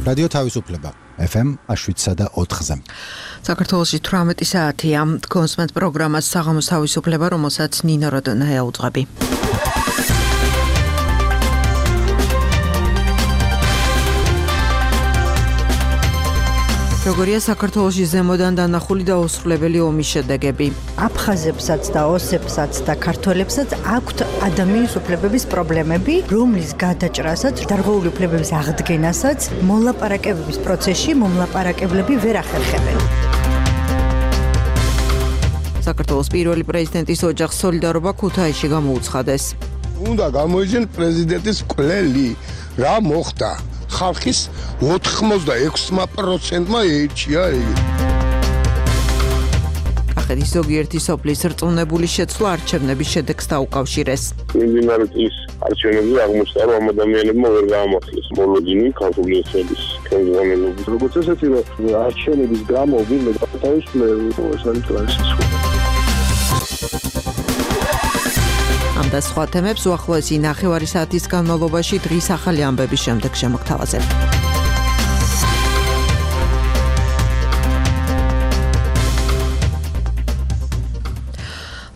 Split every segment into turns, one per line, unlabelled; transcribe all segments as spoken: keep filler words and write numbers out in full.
რადიო თავისუფლება ეფ ემ შვიდსა და ოთხზე.
საქართველოში თვრამეტი საათია. კონსმენტ პროგრამას საღამოს თავისუფლება, რომელსაც ნინო როდონაია უძღვები. როგორია საქართველოში ზემოდან დანახული და უსრულებელი ომის შედეგები.
აფხაზებსაც და ოსებსაც და ქართველებსაც აქვთ ადამიანის უფლებების პრობლემები, რომლის გადაჭრასაც, დარღვეული უფლებების აღდგენასაც მოლაპარაკებების პროცესში მომლაპარაკებლები ვერ ახერხებენ.
საქართველოს პირველი პრეზიდენტის ოჯახს სოლიდარობა ქუთაისში გამოუცხადეს.
უნდა გამოიძიონ პრეზიდენტის მკვლელი, რა მოხდა? ხალხის ოთხმოცდაექვსი პროცენტმა ეჩია იგი.
კახეთის ზოგიერთი სოფლის რწმუნებული შეცვლა არჩევნების შედეგს დაუკავშირეს.
მიმდინარე წლის არჩევნებზე აღმოჩნდა, რომ ამ ადამიანებმა ვერ გაამართლეს მოლოდინი ქართული ესების ხელმძღვანელობის. როგორც ესეთი, რომ არჩევნების გამო ვინმე თავისუფლება ეს არის ტრანზიცია.
ამ და სხვა თემებს უახლოესი ნახევარი საათის განმავლობაში დღის ახალი ამბების შემდეგ შემოგთავაზებ.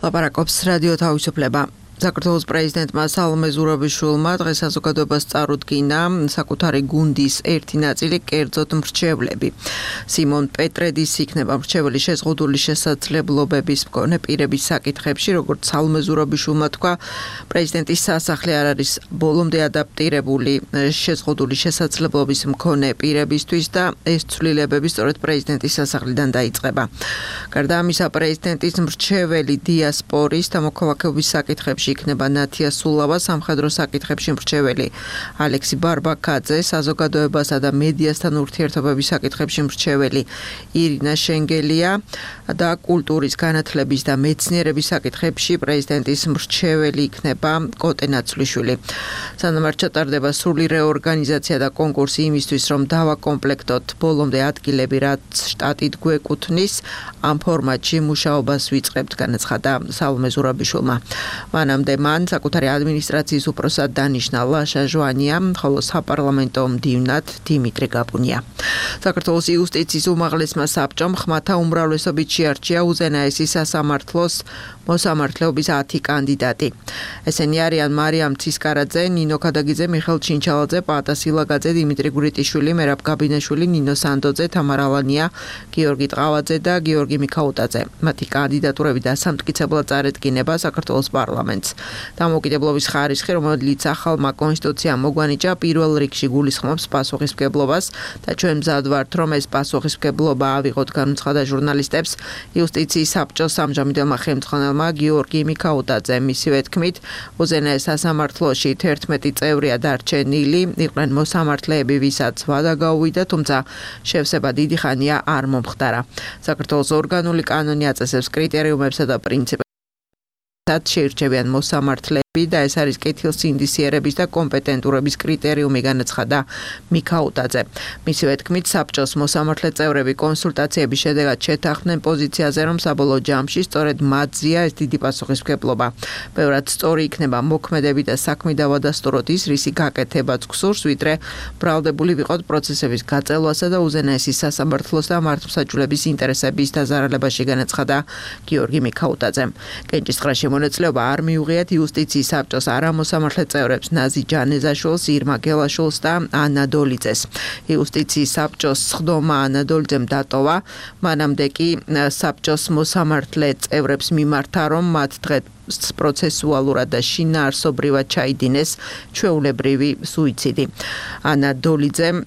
ლაპარაკობს რადიო თავისუფლება. საქართველოს პრეზიდენტმა სალომე ზურაბიშვილმა დღეს საზოგადოებას წარუდგინა საკუთარი გუნდის ერთი ნაწილი, კერძოდ მრჩევლები. სიმონ პეტრედის იქნება მრჩეველი შეზღუდული შესაძლებლობების მქონე პირების საკითხებში, როგორც სალომე ზურაბიშვილმა თქვა, პრეზიდენტის სასახლე არ არის ბოლომდე ადაპტირებული შეზღუდული შესაძლებლობის მქონე პირებისთვის და ეს ცვლილებები სწორედ პრეზიდენტის სასახლიდან დაიწყება. გარდა ამისა, პრეზიდენტის მრჩეველი დიასპორის და მოქალაქეობის საკითხებში იქნება ნათია სულავა, სამხედრო საკითხებში მრჩეველი ალექსი ბარბაკაძე, საზოგადოებასა და მედიასთან ურთიერთობების საკითხებში მრჩეველი ირინა შენგელია და კულტურის, განათლების და მეცნიერების საკითხებში პრეზიდენტის მრჩეველი იქნება კოტე ნაცვლიშვილი. სანამ არ ჩატარდება სრული რეორგანიზაცია და კონკურსი იმისთვის, რომ დავაკომპლექტოთ ბოლომდე ადგილები, რაც შტატით გვეკუთვნის, ამ ფორმატში მუშაობას ვიწყებთ, განაცხადა სალომე ზურაბიშვილმა. მანამდე მან საკუთარი ადმინისტრაციის უფროსად დანიშნა ლაშა ჟვანია, ხოლო საპარლამენტო მდივნად დიმიტრი გაბუნია. საქართველოს იუსტიციის უმაღლესმა საბჭომ ხმათა უმრავლესობით შეარჩია უზენაესი სასამართლოს მოსამართლეობის ათი კანდიდატი. ესენი არიან მარიამ ცისკარაძე, ნინო ქადაგიძე, მიხელ ჩინჩალაძე, პაატა სილაგაძე, დიმიტრი გვრიტიშვილი, მერაბ გაბინაშვილი, ნინო სანდოძე, თამარა ალანია, გიორგი ტყავაძე და გიორგი მიქაუტაძე. მათი კანდიდატურები დასამტკიცებლად წარედგინება საქართველოს პარლამენტს. დამოუკიდებლობის ხარისხი, რომელიც ახალმა კონსტიტუციამ მოგვანიჭა, პირველ რიგში გულისხმობს პასუხისმგებლობას და ჩვენ მზად ვართ, რომ ეს პასუხისმგებლობა ავიღოთ, განუცხადა ჟურნალისტებს იუსტიციის საბჭოს ამჟამინდელმა ხელმძღვანელმა გიორგი მიქაუტაძე. მისივე თქმით, უზენაეს სასამართლოში თერთმეტი წევრია დარჩენილი, იყვნენ მოსამართლეები, ვისაც ვადა გაუვიდა, თუმცა შევსება დიდი ხანია არ მომხდარა. საქართველოს ორგანული კანონი აწესებს კრიტერიუმებსა და პრინციპებს, შეირჩევიან მოსამართლეები და ეს არის კეთილსინდისიერების და კომპეტენტურობის კრიტერიუმი, განაცხადა მიქაუტაძე. მისივე თქმით, საბჭოს მოსამართლე წევრები კონსულტაციების შედეგად შეთანხმდნენ პოზიციაზე, რომ საბოლოო ჯამში სწორედ მათზეა ეს დიდი პასუხისმგებლობა. ბევრად სწორი იქნება მოქმედები და საქმე დავადასტუროთ ის, რისი გაკეთებაც გსურს, ვიდრე ბრალდებული ვიყოთ პროცესების გაწელვასა და უზენაესი სასამართლოს და მართლმსაჯულების ინტერესების დაზარალებაში, განაცხადა გიორგი მიქაუტაძემ. კენჭისყრაში მონაწილეობა არ მიუღიათ იუსტიციის საბჭოს არამოსამართლე წევრებს ნაზი ჯანეზაშვილს, ირმა გელაშვილს და ანა დოლიძეს. იუსტიციის საბჭოს სხდომა ანა დოლიძემ დატოვა, მანამდე კი საბჭოს მოსამართლე წევრებს მიმართა, რომ მათ დღეს პროცესუალურად და შინაარსობრივად ჩაიდინეს ჩვეულებრივი სუიციდი. ანა დოლიძემ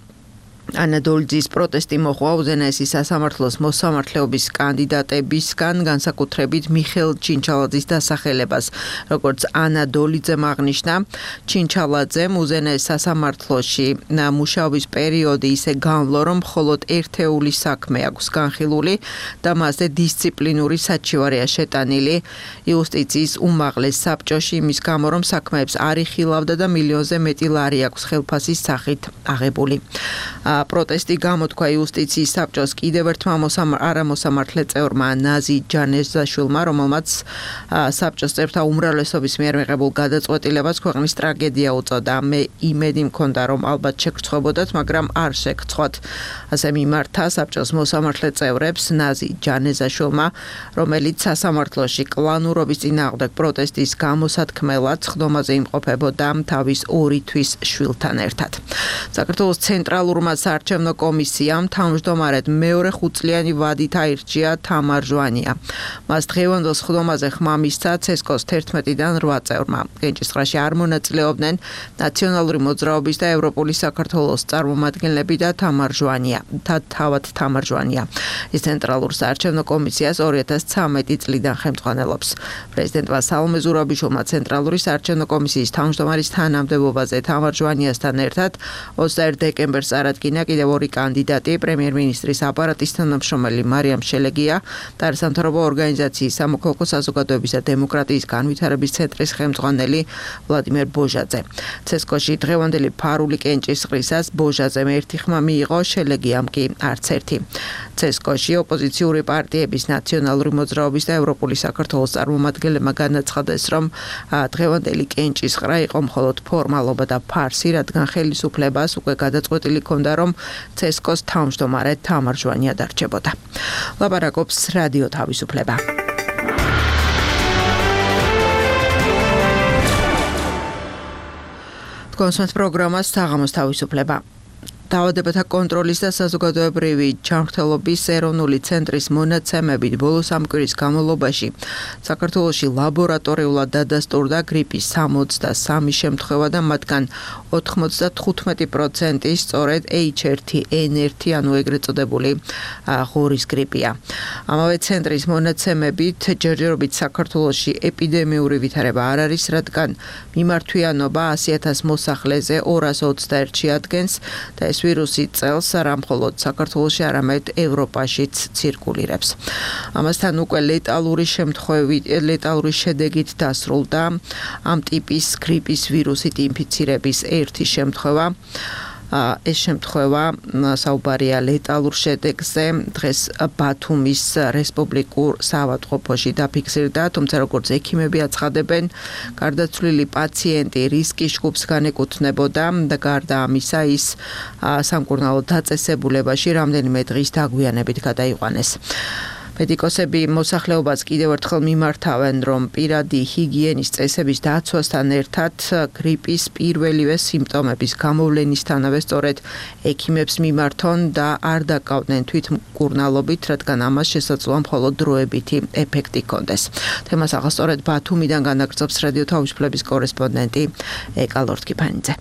ანა დოლიძის პროტესტი მოჰყვა უზენაესი სასამართლოს მოსამართლეობის კანდიდატებისგან, განსაკუთრებით მიხელ ჩინჩალაძის დასახელებას. როგორც ანა დოლიძემ აღნიშნა, ჩინჩალაძემ უზენაეს სასამართლოში მუშაობის პერიოდი ისე განვლო, რომ მხოლოდ ერთეული საქმე აქვს განხილული და მასზე დისციპლინური საჩივარია შეტანილი იუსტიციის უმაღლეს საბჭოში, იმის გამო, რომ საქმეებს არ იხილავდა და მილიონზე მეტი ლარი აქვს ხელფასის სახით აღებული. პროტესტი გამოთქვა იუსტიციის საბჭოს კიდევ ერთმა არამოსამართლე წევრმა ნაზი ჯანეზაშვილმა, რომელმაც საბჭოს წევრთა უმრავლესობის მიერ მიღებულ გადაწყვეტილებას ქვეყნის ტრაგედია უწოდა. მე იმედი მქონდა, რომ ალბათ შეგრცხვებოდათ, მაგრამ არ შეგრცხვათ. ასე მიმართა საბჭოს მოსამართლე წევრებს ნაზი ჯანეზაშვილმა, რომელიც სასამართლოში კლანურობის წინააღმდეგ პროტესტის გამოსათქმელად ხდომაზე იმყოფებოდა თავის ორი თვის შვილთან ერთად. საქართველოს ცენტრალურმა საარჩევნო კომისიამ თავმჯდომარედ მეორე ხუთწლიანი ვადით აირჩია თამარ ჟვანია. მას დღევანდელ ხდომაზე ხმა მისცა ცესკოს თერთმეტიდან რვა წევრმა. კენჭისყრაში არ მონაწილეობდნენ ნაციონალური მოძრაობის და ევროპული საქართველოს წარმომადგენლები და თამარ ჟვანია. თავად თამარ ჟვანია. ის ცენტრალურ საარჩევნო კომისიას ორი ათას ცხრამეტი წლიდან ხელმძღვანელობს. პრეზიდენტმა სალომე ზურაბიშვილმა ცენტრალური საარჩევნო კომისიის თავმჯდომარის თანამდებობაზე თამარ ჟვანიასთან ერთად ოცდაერთი დეკემბერს წარადგინა კიდევ ორი კანდიდატი, პრემიერ-მინისტრის აპარატის თანამშრომელი მარიამ შელეგია და სამთავრობო ორგანიზაციის სამოქალაქო საზოგადოების და დემოკრატიის განვითარების ცენტრის ხელმძღვანელი ვლადიმერ ბოჟაძე. ცესკოში დღევანდელი ფარული კენჭისყრისას ბოჟაძემ ერთი ხმა მიიღო, შელეგიამ კი არც ერთი. ცესკოში ოპოზიციური პარტიების ნაციონალური მოძრაობის და ევროპული საქართველოს წარმომადგენლებმა განაცხადეს, რომ დღევანდელი კენჭისყრა იყო მხოლოდ ფორმალობა და ფარსი, რადგან ხელისუფლებას უკვე გადაწყვეტილი ჰქონდა, რომ ცესკოს თავმჯდომარედ თამარ ჟვანია დარჩებოდა. ლაპარაკობს რადიო თავისუფლება. კონსულტ პროგრამას საღამოს თავისუფლება. დაავადებათა კონტროლის და საზოგადოებრივი ჯანმრთელობის ეროვნული ცენტრის მონაცემებით ბოლო სამ კვირის განმავლობაში საქართველოში ლაბორატორიულად დადასტურდა გრიპის სამოცდასამი შემთხვევა და მათგან ოთხმოცდათხუთმეტი პროცენტი სწორედ ეიჩ ერთი ენ ერთი, ანუ ეგრეთ წოდებული ღორის გრიპია. ამავე ცენტრის მონაცემებით ჯერჯერობით საქართველოში ეპიდემიური ვითარება არ არის, რადგან მიმართვიანობა ასი ათას მოსახლეზე ორას ოცდაერთში ადგენს და ეს ვირუსი წელს არა მხოლოდ საქართველოში, არამედ ევროპაშიც ცირკულირებს. ამასთან უკვე ლეტალური შემთხვევით, ლეტალური შედეგით დასრულდა ამ ტიპის გრიპის ვირუსით ინფიცირების ერთი შემთხვევა. ეს შემთხვევა საუბარია ლეტალურ შედეგზე დღეს ბათუმის რესპუბლიკურ საავადმყოფოში დაფიქსირდა, თუმცა როგორც ექიმები აცხადებენ, გარდაცვლილი პაციენტი რისკის ჯგუფს განეკუთვნებოდა და გარდა ამისა ის სამკურნალო დაწესებულებაში რამდენიმე დღის დაგვიანებით გადაიყვანეს. მედიკოსები მოსახლეობას კიდევ ერთხელ მიმართავენ, რომ პირადი ჰიგიენის წესების დაცვასთან ერთად გრიპის პირველივე სიმპტომების გამოვლენისთანავე სწორედ ექიმებს მიმართონ და არ დაკავდნენ თვითმკურნალობით, რადგან ამას შესაძლოა მხოლოდ დროებითი ეფექტი ჰქონდეს. თემას ახლა სწორედ ბათუმიდან განაგრძობს რადიო თავისუფლების კორესპონდენტი ეკა ლორთქიფანიძე.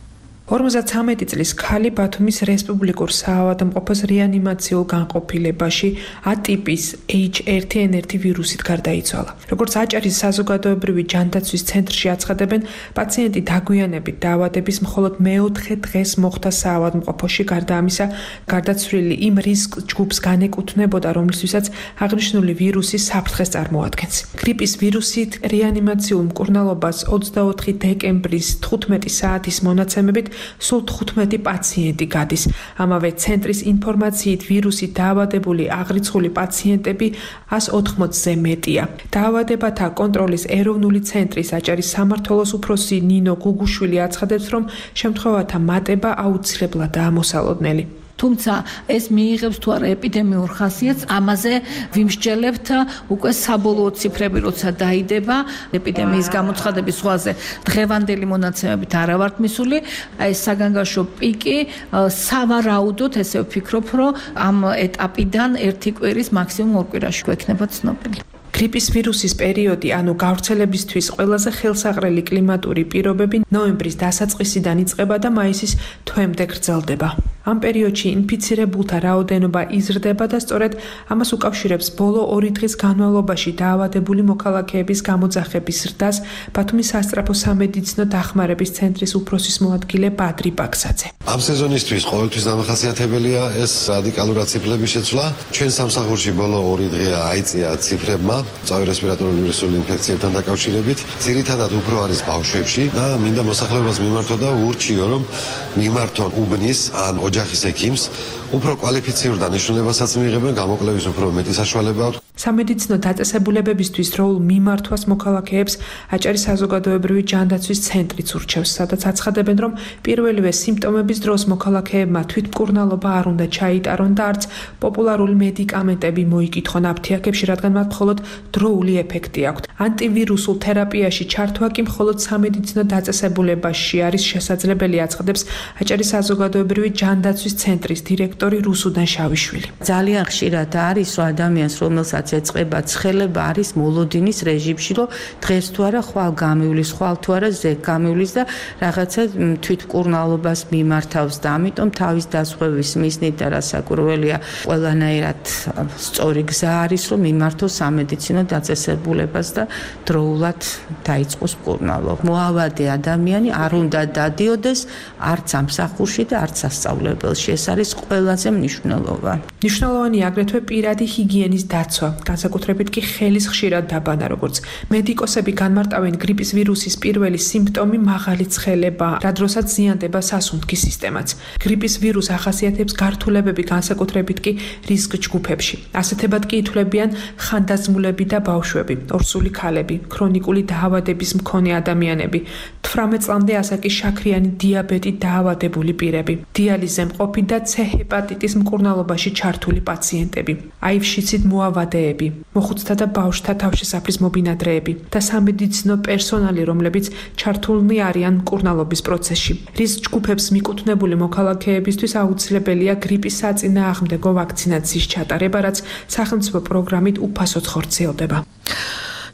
ორმოცდათვრამეტი წლის ქალი ბათუმის რესპუბლიკურ საავადმყოფოს რეანიმაციულ განყოფილებაში A ტიპის ეიჩ ერთი ენ ერთი ვირუსით გარდაიცვალა. როგორც აჭარის საზოგადოებრივი ჯანდაცვის ცენტრში აცხადებენ, პაციენტი დაგვიანებით დაავადების მხოლოდ მეოთხე დღეს მოხდა საავადმყოფოში, გარდა ამისა, გარდაცვლილი იმ რისკ ჯგუფს განეკუთვნებოდა, რომლისთვისაც აღნიშნული ვირუსი საფრთხეს წარმოადგენს. გრიპის ვირუსით რეანიმაციულ მკურნალობას ოცდაოთხი დეკემბრის თხუთმეტი საათის მონაცემებით სულ თხუთმეტი პაციენტი გადის. ამავე ცენტრის ინფორმაციით ვირუსით დაავადებული აღრიცხული პაციენტები ას ოთხმოცზე მეტია. დაავადებათა კონტროლის ეროვნული ცენტრის აჭარის სამმართველოს უფროსი ნინო გუგუშვილი აცხადებს, რომ შემთხვევათა მატება აუცილებლადაა მოსალოდნელი.
თუმცა ეს მიიღებს თუ არა ეპიდემიურ ხასიათს, ამაზე ვიმსჯელებთ უკვე საბოლოო ციფრები, როცა დაიდება ეპიდემიის გამოცხადების ზღვაზე. დღევანდელი მონაცემებით არა ვართ მისული, აი ეს საგანგაშო პიკი სავარაუდოდ, ესე ვფიქრობ, რომ ამ ეტაპიდან ერთი კვირის მაქსიმუმ ორ კვირაში გვექნება ცნობილი.
გრიპის ვირუსის პერიოდი, ანუ გავრცელებისთვის ყველაზე ხელსაყრელი კლიმატური პირობები ნოემბრის დასაწყისიდან იწყება და მაისის თვემდე გრძელდება. ამ პერიოდში ინფიცირებულთა რაოდენობა იზრდება და სწორედ ამას უკავშირებს ბოლო ორი დღის განმავლობაში დაავადებული მოქალაქეების გამოძახების ზრდას ბათუმის სასწრაფო სამედიცინო დახმარების ცენტრის უფროსის მოადგილე ბადრი ბაქსაძე.
ამ სეზონისთვის ყოველთვის დამახასიათებელია ეს რადიკალურად ციფრების შეცვლა. ჩვენ სამსახურში ბოლო ორი დღეა აიწია ციფრებმა წავი რესპირატორული ვირუსული ინფექციებთან დაკავშირებით. ძირითადად უფრო არის ბავშვებში და მინდა მოსახლეობას მიმართო და ურჩიო, რომ მიმართონ უბნის ან ოჯახის ექიმს, უფრო კვალიფიციურ დანიშნულებასაც მიიღებენ, გამოკლების უფრო მეტი საშუალება აქვს.
სამედიცინო დაწესებულებებისთვის დროულ მიმართვას მოქალაქეებს აჭარის საზოგადოებრივი ჯანდაცვის ცენტრიც ურჩევს, სადაც აცხადებენ, რომ პირველივე სიმპტომების დროს მოქალაქეებმა თვითმკურნალობა არ უნდა ჩაიტარონ და არც პოპულარული მედიკამენტები მოიკითხონ აფთიაქებში, რადგან მათ მხოლოდ დროული ეფექტი აქვთ. ანტივირუსულ თერაპიაში ჩართვა კი მხოლოდ სამედიცინო დაწესებულებაში არის შესაძლებელი, აცხადებს აჭარის საზოგადოებრივი ჯანდაცვის ცენტრის დირექტორი რუსუდან შავიშვილი.
ძალიან ხშირად არის, რომ ადამიანს, რომელსაც ეწყება ცხელება, არის მოლოდინის რეჟიმში, რომ დღეს თუ არა ხვალ გამივლის, ხვალ თუ არა ზეგ გამივლის და რაღაცა თვითმკურნალობას მიმართავს და ამიტომ თავის დასხვევის მიზნით და რასაკურველია ყველანაირად სწორი გზა არის, რომ მიმართოს სამედიცინო დაწესებულებას და დროულად დაიწყოს მკურნალობა. მოავადე ადამიანი არ უნდა დადიოდეს არც ამსახურში და არც სასწავლებელში. ეს არის ყველაზე მნიშვნელოვანი.
მნიშვნელოვანი აგრეთვე პირადი ჰიგიენის დაცვა, განსაკუთრებით კი ხელის ხშირად დაბანა, როგორც მედიკოსები განმარტავენ, გრიპის ვირუსის პირველი სიმპტომი მაღალი ცხელება, რა დროსაც ზიანდება სასუნთქი სისტემაც. გრიპის ვირუსს ახასიათებს გართულებები, განსაკუთრებით კი რისკ ჯგუფებში. ასეთებად კი ითვლებიან ხანდაზმულები და ბავშვები, ორსული ქალები, ქრონიკული დაავადების მქონე ადამიანები, თვრამეტ წლამდე ასაკის შაქრიანი დიაბეტით დაავადებული პირები, დიალიზზე მყოფი და C ჰეპატიტის მკურნალობაში ჩართული პაციენტები, აივ-შიცით მოავადეები, მოხუცთა და ბავშვთა თავშესაფრის მობინადრეები და სამედიცინო პერსონალი, რომლებიც ჩართულნი არიან მკურნალობის პროცესში. რისკ ჯგუფებს მიკუთვნებული მოქალაქეებისთვის აუცილებელია გრიპის საწინააღმდეგო ვაქცინაციის ჩატარება, რაც სახელმწიფო პროგრამით უფასოდ ხორციელდება.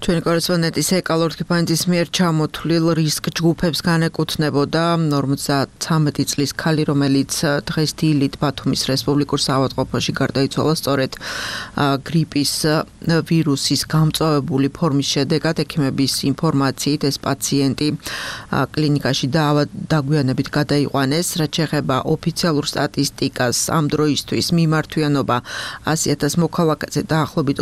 ჩვენი კორესპონდენტის ეკა ლორთქიფანიძის მიერ ჩამოთვლილ რისკ ჯგუფებს განეკუთვნებოდა ორმოცდათვრამეტი წლის ქალი, რომელიც დღეს დილით ბათუმის რესპუბლიკურ საავადმყოფოში გარდაიცვალა სწორედ გრიპის ვირუსის გამწვავებული ფორმის შედეგად. ექიმების ინფორმაციით ეს პაციენტი კლინიკაში დაგვიანებით გადაიყვანეს. რაც შეეხება ოფიციალურ სტატისტიკას, ამ დროისთვის მიმართვიანობა ასი ათას მოქალაქეზე დაახლოებით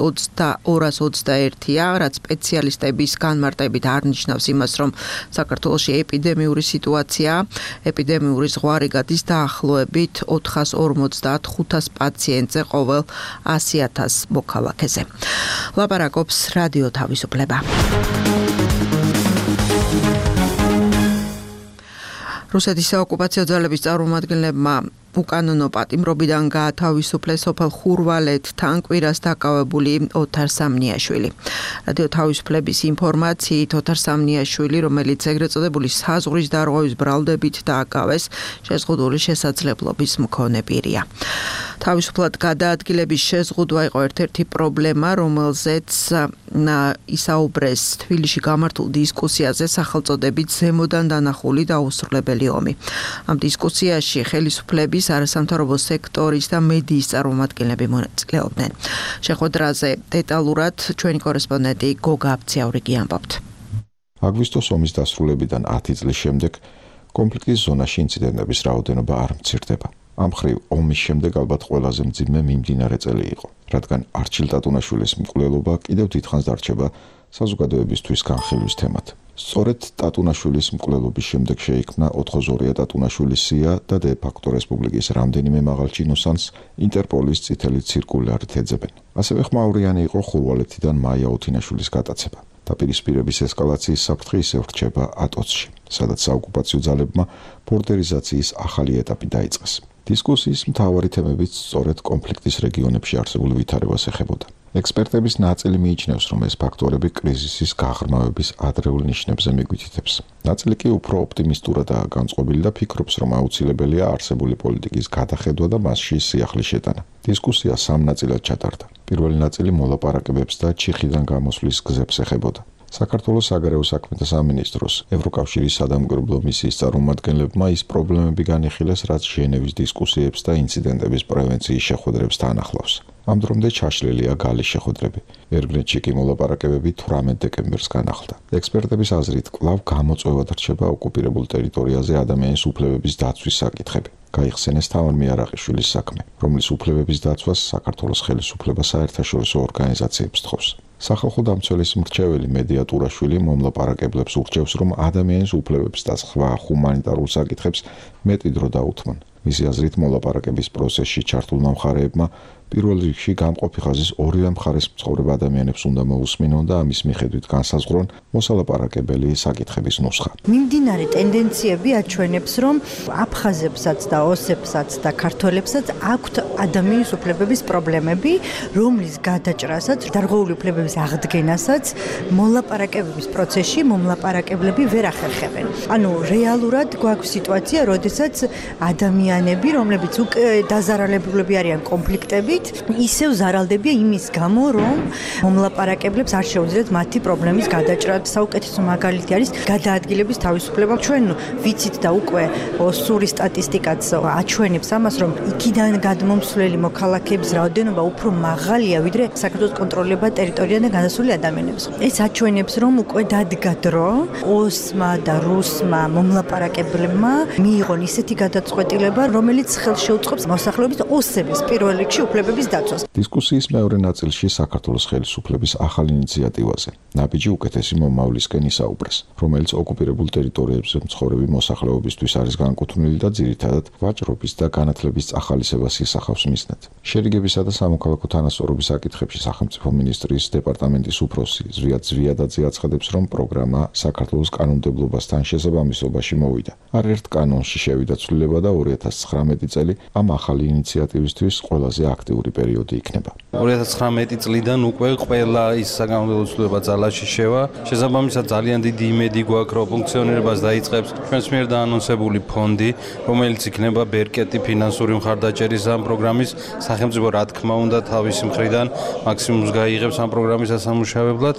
ორას ოცდაერთია, რაც სპეციალისტების განმარტებით არნიშნავს იმას, რომ საქართველოში ეპიდემიური სიტუაცია, ეპიდემიური ზღვარი გადის დაახლოებით ოთხას ორმოცდათხუთას პაციენტზე ყოველ ასი ათას მოქალაქეზე. ლაპარაკობს რადიო თავისუფლება. რუსეთის საოკუპაციო ძალების წარმომადგენლებმა უკანონო პატიმრობიდან გაათავისუფლეს სოფელ ხურვალეთთან კვირას დაკავებული ოთარ სამნიაშვილი. რადიო თავისუფლების ინფორმაციით ოთარ სამნიაშვილი, რომელიც ეგრეთ წოდებული საზღვრის დარღვევის ბრალდებით დააკავეს, შეზღუდული შესაძლებლობის მქონე პირია. თავისუფლად გადაადგილების შეზღუდვა იყო ერთ-ერთი პრობლემა, რომელზეც ისაუბრეს თბილისში გამართულ დისკუსიაზე სახელწოდებით ზემოდან დანახული და აუსრულებელი ომი. ამ დისკუსიაში ხელისუფლების არასამთავრობო სექტორის და მედიის წარმომადგენლები მონაწილეობდნენ. შეხვედრაზე დეტალურად ჩვენი კორესპონდენტი გოგა აბციაურიგი ამბობთ.
აგვისტოს ომის დასრულებიდან ათი წლის შემდეგ კონფლიქტის ზონაში ინციდენტების რაოდენობა არ მცირდება. ამ მხრივ ომის შემდეგ ალბათ ყველაზე მძიმე მიმდინარე წელი იყო, რადგან არჩილ ტატუნაშვილის მკვლელობა კიდევ დიდხანს დარჩება საზოგადოებისთვის განხილვის თემად. სწორედ ტატუნაშვილის მკვლელობის შემდეგ შეიქმნა ოთხოზორია ტატუნაშვილის სია და დე ფაქტო რესპუბლიკის რამდენიმე მაღალ ჩინოსანს ინტერპოლის წითელი ცირკულარით ეძებენ. ასევე ხმაურიანი იყო ხურვალეთიდან მაია ოთინაშვილის გატაცება. დაპირისპირების ესკალაციის საფრთხე ისევ რჩება ატოცში, სადაც საოკუპაციო ძალებმა ბორდერიზაციის ახალი ეტაპი დაიწყეს. დისკუსიის მთავარი თემებიც სწორედ კონფლიქტის რეგიონებში არსებულ ვითარებას ეხებოდა. ექსპერტების ნაწილი მიიჩნევს, რომ ეს ფაქტორები კრიზისის გაღრმავების ადრეულ ნიშნებზე მიგვითითებს. ნაწილი კი უფრო ოპტიმისტურადაა განწყობილი და ფიქრობს, რომ აუცილებელია არსებული პოლიტიკის გადახედვა და მასში სიახლის შეტანა. დისკუსია სამ ნაწილად ჩატარდა. პირველი ნაწილი მოლაპარაკებებს და ჩიხიდან გამოსვლის გზებს ეხებოდა. საქართველოს საგარეო საქმეთა სამინისტროს ევროკავშირის სადამკვირვებლო მისიის წარმომადგენლებმა ის პრობლემები განიხილეს, რაც ჟენევის დისკუსიებს და ინციდენტების პრევენციის შეხვედრებს თან ახლავს. ამ დრომდე ჩაშლილია გალის შეხვედრები. ერგნეთში კი მოლაპარაკებები თვრამეტ დეკემბერს განახლდა. ექსპერტების აზრით, კვლავ გამოწვევად რჩება ოკუპირებულ ტერიტორიაზე ადამიანის უფლებების დაცვის საკითხები. გაიხსენეს თავად მიარაყიშვილის საქმე, რომლის უფლებების დაცვას საქართველოს ხელისუფლება საერთაშორისო ორგანიზაციებს თხოვს. სახალხო დამცველის მრჩეველი მედია ტურაშვილი მომლაპარაკებლებს ურჩევს, რომ ადამიანის უფლებებს და სხვა ჰუმანიტარულ საკითხებს მეტი დრო დაუთმონ. მისი აზრით, მოლაპარაკების პროცესში ჩართულმა მხარეებმა პირველ რიგში გამყოფი ხაზის ორივე მხარეს მცხოვრებ ადამიანებს უნდა მოусმინონ და ამის მიხედვით განსაზღვრონ მოსალაპარაკებელი საკითხების ნუსხა.
მიმდინარე ტენდენციები აჩვენებს, რომ აფხაზებსაც და ოსებსაც და ქართველებსაც აქვთ ადამიანის უფლებების პრობლემები, რომლის გადაჭრასაც, დარღვეული უფლებების აღდგენასაც მოლაპარაკებების პროცესში მომლაპარაკებლები ვერ ახერხებენ. ანუ რეალურად გვაქვს სიტუაცია, როდესაც ადამიანები, რომლებიც უკვე დაზარალებულები არიან კონფლიქტებით, ისევ ზარალდებიან იმის გამო, რომ მომლაპარაკებლებს არ შეუძლიათ მათი პრობლემის გადაჭრა. საუკეთესო მაგალითი არის გადაადგილების თავისუფლება. ჩვენ ვიცით და უკვე სური სტატისტიკაც აჩვენებს ამას, რომ იქიდან გადმომსვლელი მოქალაქეების რაოდენობა უფრო მაღალია, ვიდრე საქართველოს კონტროლებად ტერიტორიიდან განასული ადამიანების. ეს აჩვენებს, რომ უკვე დადგა დრო ოსმა და რუსმა მომლაპარაკებლებმა მიიღონ ისეთი გადაწყვეტილება, რომელიც ხელს შეუწყობს მოსახლეობის ოსების პირველ რიგში უფლებების დაცვას.
დისკუსიის მეორე ნაწილში საქართველოს ხელისუფლების ახალ ინიციატივაზე ნაბიჯი უკეთესი მომავლისკენ ისაუბრეს, რომელიც ოკუპირებულ ტერიტორიებზე მცხოვრები მოსახლეობისთვის არის განკუთვნილი და ძირითადად ვაჭრობის და განათლების წახალისებას ისახავს მიზნად. შერიგებისა და სამოქალაქო თანასწორობის საკითხებში სახელმწიფო მინისტრის დეპარტამენტის უფროსი ზვიად ზვიადაძე აცხადებს, რომ პროგრამა საქართველოს კანონმდებლობასთან შესაბამისობაში მოვიდა. არერთ კანონში შევიდა ცვლილება და ორი ათას ცხრამეტი წელი ამ ახალი ინიციატივისთვის ყველაზე აქტიური პერიოდი იქნება.
ორი ათას ცხრამეტი წლიდან უკვე ყველა ის საკანონმდებლო ცვლილება ძალაში შევა. შესაბამისად ძალიან დიდი იმედი გვაქვს, რომ ფუნქციონირებას დაიწყებს ჩვენს მიერ დაანონსებული ფონდი, რომელიც იქნება ბერკეტი ფინანსური მხარდაჭერის ამ პროგრამის. სახელმწიფო რა თქმა უნდა თავისი მხრიდან მაქსიმუმს გაიღებს ამ პროგრამის ასამუშავებლად.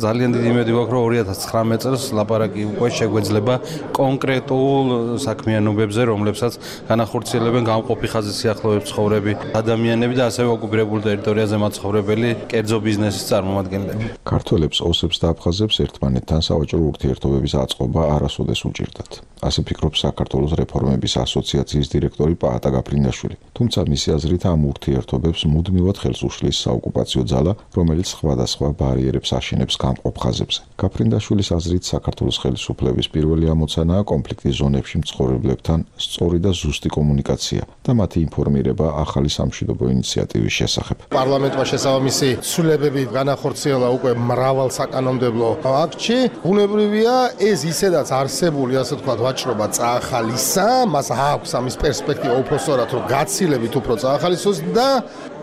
ძალიან დიდი იმედი გვაქვს, რომ ორი ათას ცხრამეტი წელს ლაპარაკი უკვე შეგვეძლება კონკრეტულ საქმიანობებზე, რომლებსაც განახორციელებენ გამყოფი ხაზის სიახლოვეს მცხოვრები ადამიანები და ასევე ოკუპირებულ ტერიტორიაზე მაცხოვრებელი კერძო ბიზნესის წარმომადგენლები.
ქართველებს, ოსებს და აფხაზებს ერთმანეთთან სავაჭრო ურთიერთობების აწყობა არასოდეს უჭირდათ. ასე ფიქრობს საქართველოს რეფორმების ასოციაციის დირექტორი პაატა გაფრინდაშვილი. თუმცა მისი აზრით ამ ურთიერთობებს მუდმივად ხელს უშლის საოკუპაციო ძალა, რომელიც სხვადასხვა ბარიერებს აშენებს გამყოფ ხაზებზე. გაფრინდაშვილის აზრით საქართველოს ხელისუფლების პირველი ამოცანაა კონფლიქტის ზონებში მცხოვრებლებთან სწორი და ზუსტი კომუნიკაცია და მათი ინფორმირება ახალი სამშვიდობო ინიციატივის შესახებ.
პარლამენტმა შესაბამისი ცვლილებები განახორციელა უკვე მრავალ საკანონმდებლო აქტში. ბუნებრივია ეს ისედაც არსებული, ასე ვთქვათ, ვაჭრობა წაახალისა, მას აქვს ამის პერსპექტივა უფრო სწორად, რომ გაცილებით უფრო წაახალისოს და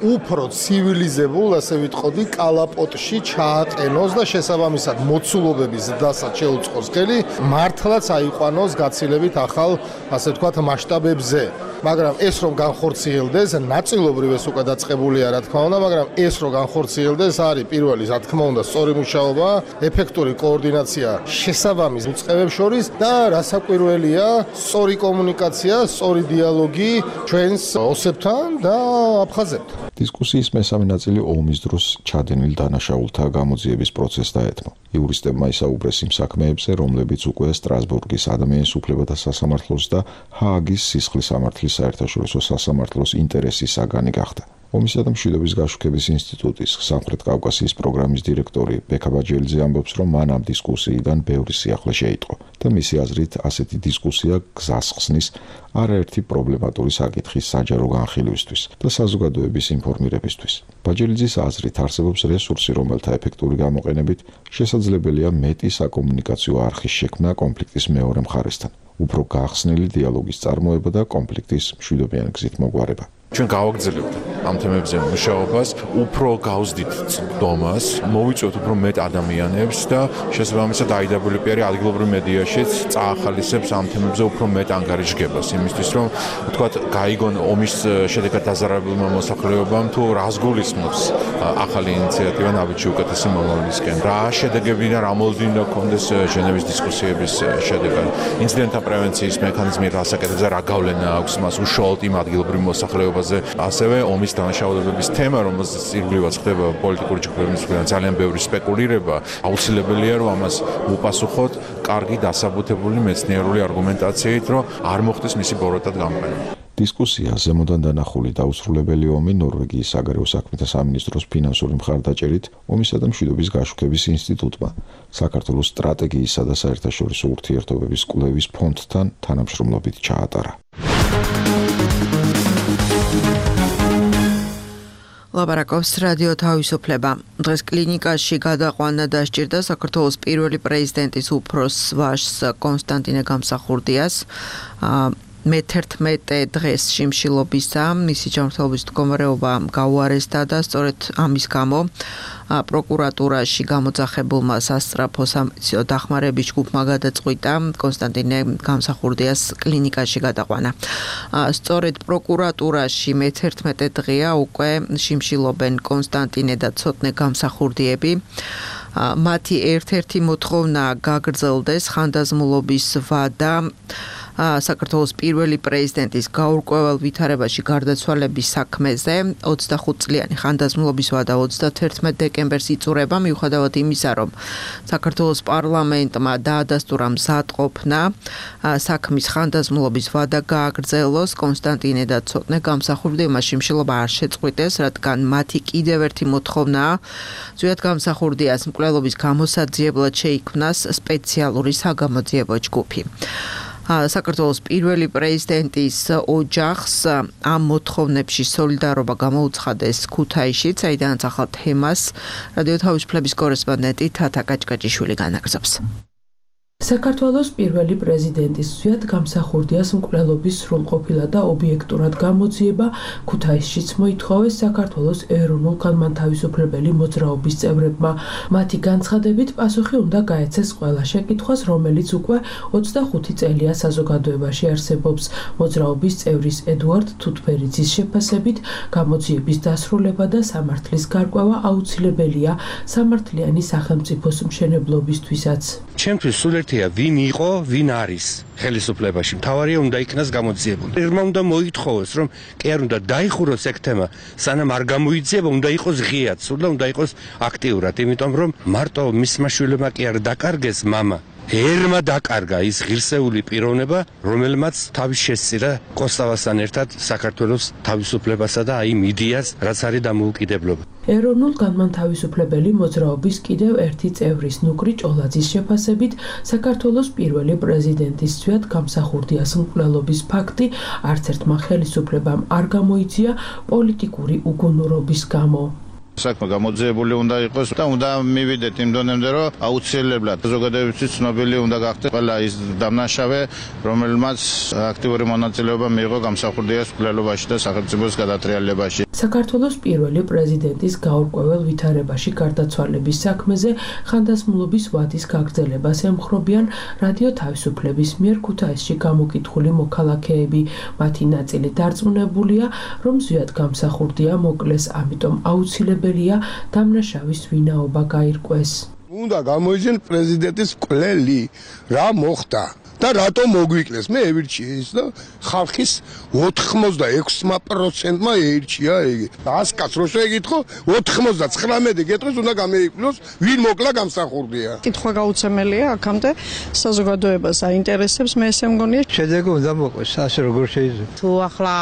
უფრო ცივილიზებულ, ასე ვიტყოდი, კალაპოტში ჩააყენოს და შესაბამისად მოცულობების ზრდასაც შეუწყოს ხელი, მართლაც აიყვანოს გაცილებით ახალ, ასე ვთქვათ, მასშტაბებზე. მაგრამ ეს რომ განხორციელდეს, ნაწილობრივ ეს უკვე დაწყებულია, რა თქმა უნდა, მაგრამ ეს რომ განხორციელდეს, არის პირველი, რა თქმა უნდა, სწორი მუშაობა, ეფექტური კოორდინაცია შესაბამის უწყებებს შორის და რასაკვირველია, სწორი კომუნიკაცია, სწორი დიალოგი ჩვენს ოსებთან და აფხაზებთან.
დისკუსიის მესამე ნაწილი ომის დროს ჩადენილ დანაშაულთა გამოძიების პროცესს დაეთმო. იურისტებმა ისაუბრეს იმ საქმეებზე, რომლებიც უკვე სტრასბურგის ადამიანის უფლებათა სასამართლოს და ჰააგის სისხლის სამართლის საერთაშორისო სასამართლოს ინტერესის საგანი გახდა. ომისა და მშვიდობის გაშუქების ინსტიტუტის სამხრეთ კავკასიის პროგრამის დირექტორი ბექა ბაჯელიძე ამბობს, რომ მან ამ დისკუსიიდან ბევრი სიახლე შეიტყო და მისი აზრით ასეთი დისკუსია გზას ხსნის არაერთი პრობლემატური საკითხის საჯარო განხილვისთვის და საზოგადოების ინფორმირებისთვის. ბაჯელიძის აზრით არსებობს რესურსი, რომელთა ეფექტური გამოყენებით შესაძლებელია მეტი საკომუნიკაციო არხის შექმნა კონფლიქტის მეორე მხარესთან, უფრო გახსნილი დიალოგის წარმოება და კონფლიქტის მშვიდობიანი გზით მოგვარება.
ჩვენ გავაგრძელებთ ამ თემებზე მუშაობას, უფრო გავზდით წვდომას, მოვიწვევთ უფრო მეტ ადამიანებს და შესაბამისად აი დაბლიუ პი არის ადგილობრივ მედიაშიც წაახალისებს ამ თემებზე უფრო მეტ ანგარიშგებას, იმისთვის რომ ვთქვათ, გაიგონ ომის შედეგად დაზარალებულმა მოსახლეობამ თუ რას გულისხმობს ახალი ინიციატივა ნაბიჯი უკეთესი მომავლისკენ. რა შედეგები და რა მოლოდინი გქონდეს ჟენევის დისკუსიების შედეგად. ინციდენტთა პრევენციის მექანიზმი რასაკეთებს და რა გავლენა აქვს მას უშუალოდ იმ ადგილობრივ მოსახლეობაზე. ასევე ომის დანაშაულებების თემა, რომელზეც ირგვლივად ხდება პოლიტიკური ჯგუფების მხრიდან ძალიან ბევრი სპეკულირება, აუცილებელია რომ ამას უპასუხოთ კარგი დასაბუთებული მეცნიერული არგუმენტაციით, რომ არ მოხდეს მისი ბოროტად გამოყენება.
დისკუსია ზემოდან დანახული დაუსრულებელი ომი ნორვეგიის საგარეო საქმეთა სამინისტროს ფინანსური მხარდაჭერით ომისა და მშვიდობის გაშუქების ინსტიტუტმა საქართველოს სტრატეგიისა და საერთაშორისო ურთიერთობების კვლევის ფონდთან თანამშრომლობით ჩაატარა.
ლაპარაკობს რადიო თავისუფლება. დღეს კლინიკაში გადაყვანა დასჭირდა საქართველოს პირველი პრეზიდენტის უფროს ვაჟს კონსტანტინე გამსახურდიას. მეთერთმეტე დღეს შიმშილობისა მისი ჯანმრთელობის მდგომარეობა გაუარესდა და სწორედ ამის გამო პროკურატურაში გამოძახებულმა სასწრაფო სამედიცინო დახმარების ჯგუფმა გადაწყვიტა კონსტანტინე გამსახურდიას კლინიკაში გადაყვანა. სწორედ პროკურატურაში მეთერთმეტე დღეა უკვე შიმშილობენ კონსტანტინე და ცოტნე გამსახურდიები. მათი ერთ-ერთი მოთხოვნა გაგრძელდეს ხანდაზმულობის ვადა საქართველოს პირველი პრეზიდენტის გაურკვეველ ვითარებაში გარდაცვალების საქმეზე ოცდახუთ წლიანი ხანდაზმულობის ვადა ოცდათერთმეტ დეკემბერს იწურება მიუხედავად იმისა, რომ საქართველოს პარლამენტმა დაადასტურა მზადყოფნა საქმის ხანდაზმულობის ვადა გააგრძელოს კონსტანტინე და ცოტნე გამსახურდიებმა შიმშილობა არ შეწყვიტეს, რადგან მათი კიდევ ერთი მოთხოვნაა ზვიად გამსახურდიას მკვლელობის გამოსაძიებლად შეიქმნას სპეციალური საგამოძიებო ჯგუფი. საქართველოს პირველი პრეზიდენტის ოჯახს ამ მოთხოვნებში სოლიდარობა გამოუცხადეს ქუთაისში, საიდანაც ახალ თემას რადიო თავისუფლების კორესპონდენტი თათა კაჭკაჭიშვილი განაგრძობს.
საქართველოს პირველი პრეზიდენტის ზვიად გამსახურდიას მკვლელობის სრულყოფილად და ობიექტურად გამოძიება ქუთაისშიც მოითხოვეს საქართველოს ეროვნულ განმათავისუფლებელი მოძრაობის წევრებმა. მათი განცხადებით პასუხი უნდა გაეცეს ყველა შეკითხვას, რომელიც უკვე ოცდახუთი წელია საზოგადოებაში არსებობს. მოძრაობის წევრის ედუარდ თუთფერიძის შეფასებით გამოძიების დასრულება და სამართლის გარკვევა აუცილებელია სამართლიანი სახელმწიფოს მშენებლობისთვისაც.
ჩემთვის სულ ერთია ვინ იყო, ვინ არის ხელისუფლებაში. მთავარია უნდა იქნას გამოძიებული. ერმა უნდა მოითხოვოს, რომ კი არ უნდა დაიხუროს ეგ თემა, სანამ არ გამოიძიება, უნდა იყოს ღიად, სულ უნდა იყოს აქტიურად, იმიტომ რომ მარტო მისმა შვილებმა კი არ დაკარგეს მამა. ერმა დაკარგა ის ღირსეული პიროვნება, რომელმაც თავის შესწირა კოსტავასთან ერთად საქართველოს თავისუფლებასა და აი მიდიას, რაც არის დამოუკიდებლობა.
ეროვნულ განმათავისუფლებელი მოძრაობის კიდევ ერთი წევრის ნუკრი ჭოლაძის შეფასებით საქართველოს პირველი პრეზიდენტის ზვიად გამსახურდიას მკვლელობის ფაქტი არც ერთმა ხელისუფლებამ არ გამოიწია პოლიტიკური უგუნურობის გამო.
საქმე გამოძიებული უნდა იყოს და უნდა მივიდეთ იმ დონემდე, რომ აუცილებლად საზოგადოებისთვის ცნობილი უნდა გახდეს ყველა ის დამნაშავე, რომელმაც აქტიური მონაწილეობა მიიღო გამსახურდიას მკვლელობაში და სახელმწიფოს გადატრიალებაში.
საქართველოს პირველი პრეზიდენტის გაურკვეველ ვითარებაში გარდაცვალების საქმეზე ხანდაზმულობის ვადის გაგრძელებას ემხრობიან რადიო თავისუფლების მიერ ქუთაისში გამოკითხული მოქალაქეები. მათი ნაწილი დარწმუნებულია, რომ ზვიად გამსახურდია მოკლეს, ამიტომ აუცილებელია დამნაშავის ვინაობა გაირკვეს.
უნდა გამოიძიონ პრეზიდენტის მკვლელი, რა მოხდა და რატომ მოგვიკლეს. მე ევირჩიე ის და ხალხის ოთხმოცდაექვსმა პროცენტმა ეირჩია იგი. ასკაც რო შეგითხო, ოთხმოცდაცხრამეტი გეტყვის უნდა გამოიკლოს, ვინ მოკლა გამსახურდია.
კითხვა გაუცემელია აქამდე საზოგადოებას აინტერესებს, მე ესე მგონია.
შედეგი უნდა მოყვეს, ასე როგორ შეიძლება.
თუ ახლა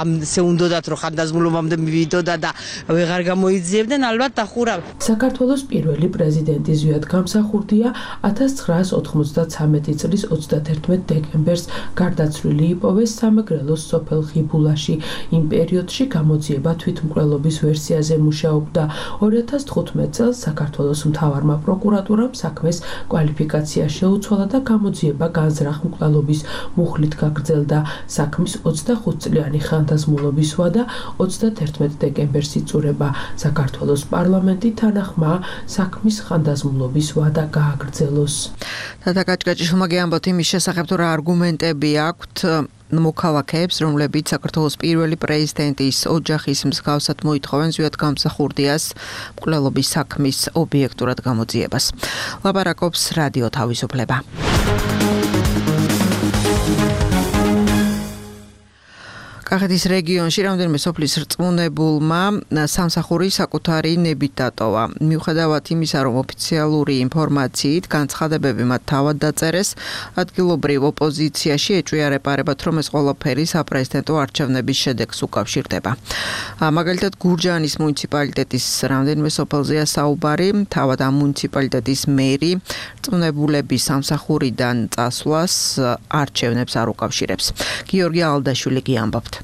ამზე უნდათ რომ ხანდაზმულობამდე მივიდოდა და ვეღარ გამოიძიებდნენ, ალბათ დახურავ.
საქართველოს პირველი პრეზიდენტი ზვიად გამსახურდია ათას ცხრაას ოთხმოცდათრამეტი წლის ოცდათერთმეტ დეკემბერს გარდაცვლილი იპოვეს სამეგრელოს სოფელ ხიბულაში. იმ პერიოდში გამოძიება თვითმკვლელობის ვერსიაზე მუშაობდა. ორი ათას თხუთმეტ წელს საქართველოს მთავარმა პროკურატურამ საქმეს კვალიფიკაცია შეუცვალა და გამოძიება განზრახ მკვლელობის მუხლით გაგრძელდა. საქმის ოცდახუთ წლიანი ხანდაზმულობის ვადა ოცდათერთმეტ დეკემბერს იწურება. საქართველოს პარლამენტი თანახმაა საქმის ხანდაზმულობის ვადა გააგრძელოს.
თათა კაჭკაჭიშვილმა გეამბოთ იმის შესახებ, თუ რა არგუმენტები აქვთ მოქალაქეებს, რომლებიც საქართველოს პირველი პრეზიდენტის ოჯახის მსგავსად მოითხოვენ ზვიად გამსახურდიას მკვლელობის საქმის ობიექტურად გამოძიებას. ლაპარაკობს რადიო თავისუფლება. კახეთის რეგიონში რამდენიმე სოფლის რწმუნებულმა სამსახური საკუთარი ნებით დატოვა. მიუხედავად იმისა, რომ ოფიციალური ინფორმაციით განცხადებები მათ თავად დაწერეს, ადგილობრივ ოპოზიციაში ეჭვია რეპარებათ, რომ ეს ყველაფერი საპრეზიდენტო არჩევნების შედეგს უკავშირდება. მაგალითად, გურჯაანის მუნიციპალიტეტის რამდენიმე სოფელზეა საუბარი, თავად ამ მუნიციპალიტეტის მერი რწმუნებულების სამსახურიდან წასვლას არჩევნებს არ უკავშირებს. გიორგი ალდაშვილი გიამბობთ.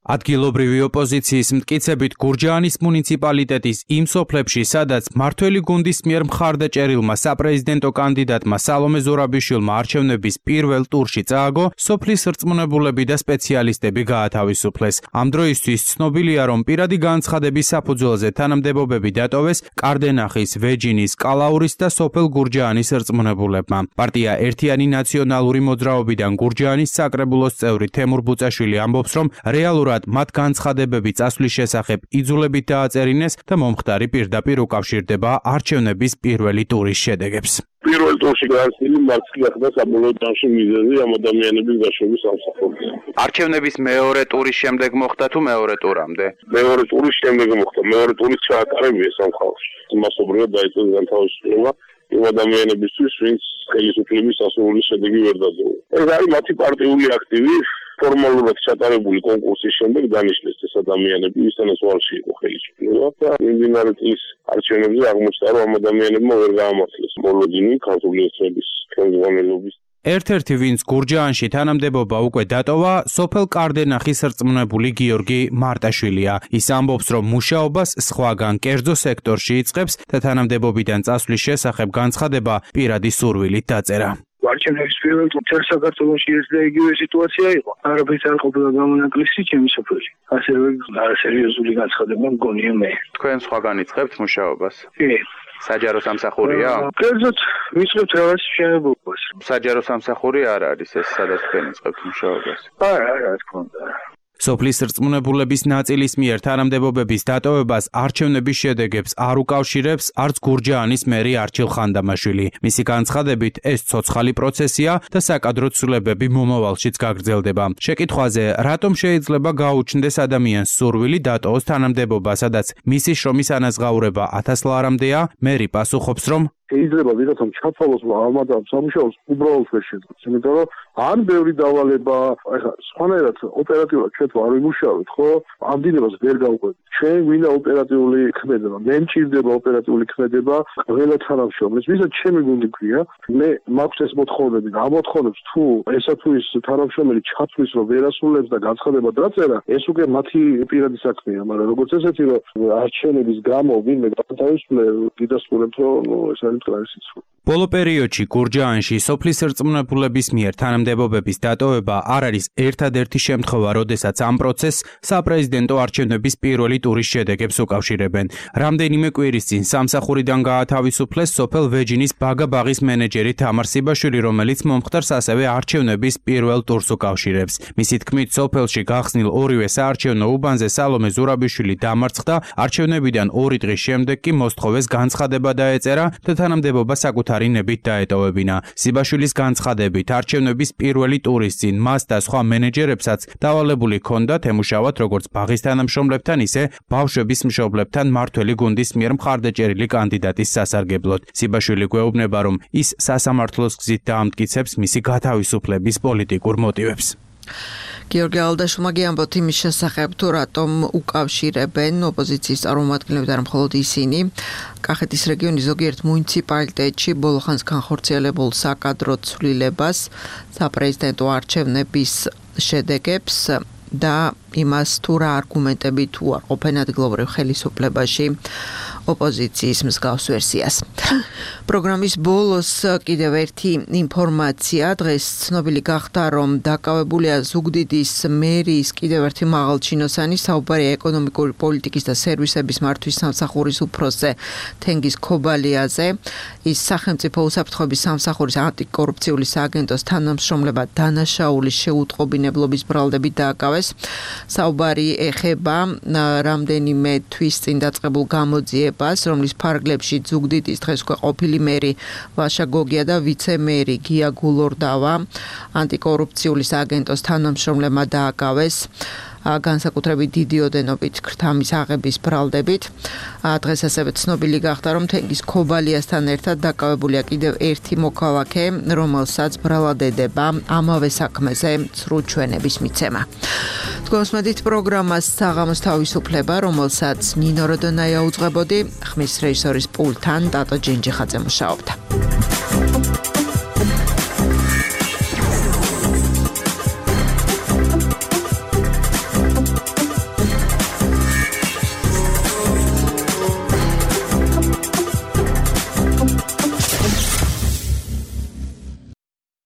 ადგილობრივი ოპოზიციის მტკიცებით გურჯაანის მუნიციპალიტეტის იმ სოფლებში, სადაც მმართველი გუნდის მიერ მხარდაჭერილმა საპრეზიდენტო კანდიდატმა სალომე ზურაბიშვილმა არჩევნების პირველ ტურში წააგო, სოფლის რწმუნებულები და სპეციალისტები გაათავისუფლეს. ამ დროისთვის ცნობილია, რომ პირადი განცხადების საფუძველზე თანამდებობები დატოვეს კარდენახის, ვეჯინის, კალაურის და სოფელ გურჯაანის რწმუნებულებმა. პარტია ერთიანი ნაციონალური მოძრაობიდან გურჯაანის საკრებულოს წევრი თემურ ბუწაშვილი ამბობს, რომ რეალურად მათ განცხადებები წასვლის შესახებ იძულებით დააწერინეს და მომხდარი პირდაპირ უკავშირდება არჩევნების პირველი ტურის შედეგებს.
პირველ ტურში განხილული მარცხი გახდა საბოლოო ტურში მიზეზი ამ ადამიანების გაშვების სამსახურზე.
არჩევნების მეორე ტურის შემდეგ მოხდა თუ მეორე ტურამდე?
მეორე ტურის შემდეგ მოხდა. მეორე ტურის ჩაატარებია სამხალხოში. მასობრივად დაიწყეს განთავისუფლება იმ ადამიანებისთვის, ვინც ხელისუფლების სასურველი შედეგი ვერ დაძლევა. ეს არის მათი პარტიული აქტივი. ფორმალურად ჩატარებული კონკურსის შემდეგ დანიშნეს ეს ადამიანები, ვისთანაც უარში იყო ხელისუფლება და მიმდინარე წლის არჩევნებზე აღმოჩნდა, რომ ამ ადამიანებმა ვერ გაამართლეს მოლოდინი ქართული ოცნების ხელმძღვანელობის.
ერთ-ერთი, ვინც გურჯაანში თანამდებობა უკვე დატოვა, სოფელ კარდენახის რწმუნებული გიორგი მარტაშვილია. ის ამბობს, რომ მუშაობას სხვაგან კერძო სექტორში იწყებს და თანამდებობიდან წასვლის შესახებ განცხადება პირადი სურვილით დაწერა.
არჩევნების პირველ წელს საქართველოში ეს და იგივე სიტუაცია იყო. არაფერს არ ყოფილა გამონაკლისი ჩემი სოფელში. ასევე არასერიოზული განცხადება მგონია მე.
თქვენ სხვაგან იწყებთ მუშაობას?
კი.
საჯარო სამსახურია?
კერძოდ ვიწყებთ რაღაც მშენებლობას.
საჯარო სამსახური არ არის ეს, სადაც თქვენ იწყებთ მუშაობას?
არა, რა თქმა უნდა.
სოფლის რწმუნებულების ნაწილის მიერ თანამდებობების დატოვებას არჩევნების შედეგებს არ უკავშირებს არც გურჯაანის მერი არჩილ ხანდამაშვილი. მისი განცხადებით, ეს ცოცხალი პროცესია და საკადრო ცვლილებები მომავალშიც გაგრძელდება. შეკითხვაზე, რატომ შეიძლება გაუჩნდეს ადამიანს სურვილი დატოვოს თანამდებობა, სადაც მისი შრომის ანაზღაურება ათას ლარამდეა, მერი პასუხობს, რომ
შეიძლება ვიღაცამ ჩათვალოს ამ ადამიანს სამუშაოს უბრალოდ ვერ შეძლოს. იმიტომ რომ ან ბევრი დავალება, ეხლა სხვანაირად ოპერატიულად ჩვენ თუ არ ვიმუშავებთ, ხო? ამ დინებას ვერ გავყვებით. ჩვენ გვინდა ოპერატიული ქმედება. მე მჭირდება ოპერატიული ქმედება ყველა თანამშრომლის. ვისაც ჩემი გუნდი ქვია, მე მაქვს ეს მოთხოვნები და ამ მოთხოვნებს თუ ესა თუ ის თანამშრომელი ჩათვლის, რომ ვერ ასრულებს და განცხადება დაწერა, ეს უკვე მათი პირადი საქმეა, მაგრამ როგორც ესეთი, რომ არჩევნების გამო ვინმე გათავისუფლე, გიდასტურებთ, რომ ეს
ბოლო პერიოდში გურჯაანში სოფლის რწმუნებულების მიერ თანამდებობების დატოვება არ არის ერთადერთი შემთხვევა, როდესაც ამ პროცესს საპრეზიდენტო არჩევნების პირველი ტურის შედეგებს უკავშირებენ. რამდენიმე კვირის წინ სამსახურიდან გაათავისუფლეს სოფელ ვეჯინის ბაგა-ბაღის მენეჯერი თამარ სიბაშვილი, რომელიც მომხდარს ასევე არჩევნების პირველ ტურს უკავშირებს. მისი თქმით, სოფელში გახსნილ ორივე საარჩევნო უბანზე სალომე ზურაბიშვილი დამარცხდა, არჩევნებიდან ორი დღის შემდეგ კი მოსთხოვეს განცხადება დაეწერა და თანამდებობა საკუთარი ნებით დაეტოვებინა. სიბაშვილის განცხადებით, არჩევნების პირველი ტურის წინ მას და სხვა მენეჯერებსაც დავალებული ჰქონდათ ემუშავათ როგორც ბაღის თანამშრომლებთან, ისე ბავშვების მშობლებთან მმართველი გუნდის მიერ მხარდაჭერილი კანდიდატის სასარგებლოდ. სიბაშვილი გვეუბნება, რომ ის სასამართლოს გზით დაამტკიცებს მისი გათავისუფლების პოლიტიკურ მოტივებს.
გიორგი ალდაშვილმა გიამბოთ იმის შესახებ, თუ რატომ უკავშირებენ ოპოზიციის წარმომადგენლები და არა მხოლოდ ისინი კახეთის რეგიონის ზოგიერთ მუნიციპალიტეტში ბოლო ხანს განხორციელებულ საკადრო ცვლილებას, საპრეზიდენტო არჩევნების შედეგებს და იმას თუ რა არგუმენტები თუ არ ყოფენ ადგილობრივ ხელისუფლებაში ოპოზიციის მსგავს ვერსიას. პროგრამის ბოლოს კიდევ ერთი ინფორმაცია. დღეს ცნობილი გახდა, რომ დაკავებულია ზუგდიდის მერიის კიდევ ერთი მაღალჩინოსანი, საუბარია ეკონომიკური პოლიტიკის და სერვისების მართვის სამსახურის უფროსზე თენგიზ ქობალიაზე. ის სახელმწიფო უსაფრთხოების სამსახურის ანტიკორუფციული სააგენტოს თანამშრომლებად დანაშაულის შეუტყობინებლობის ბრალდებით დააკავეს. საუბარი ეხება რამდენიმე თვის წინ დაწყებულ გამოძიებას, რომლის ფარგლებში ზუგდიდის დღეს უკვე ყოფილი მერი ვაშა გოგია და ვიცე-მერი გია გულორდავა ანტიკორუფციული სააგენტოს თანამშრომლებმა დააკავეს. განსაკუთრებით დიდი ოდენობით ქრთამის აღების ბრალდებით. დღეს ასევე ცნობილი გახდა, რომ თენგიზ ქობალიასთან ერთად დაკავებულია კიდევ ერთი მოქალაქე, რომელსაც ბრალად ედება ამავე საქმეზე ცრუ ჩვენების მიცემა. თქვენსმედით პროგრამას საღამოს თავისუფლება, რომელსაც ნინო როდონაია უძღვებოდი, ხმის რეჟისორის პულტთან ტატო ჯენჯიხაძე მუშაობდა.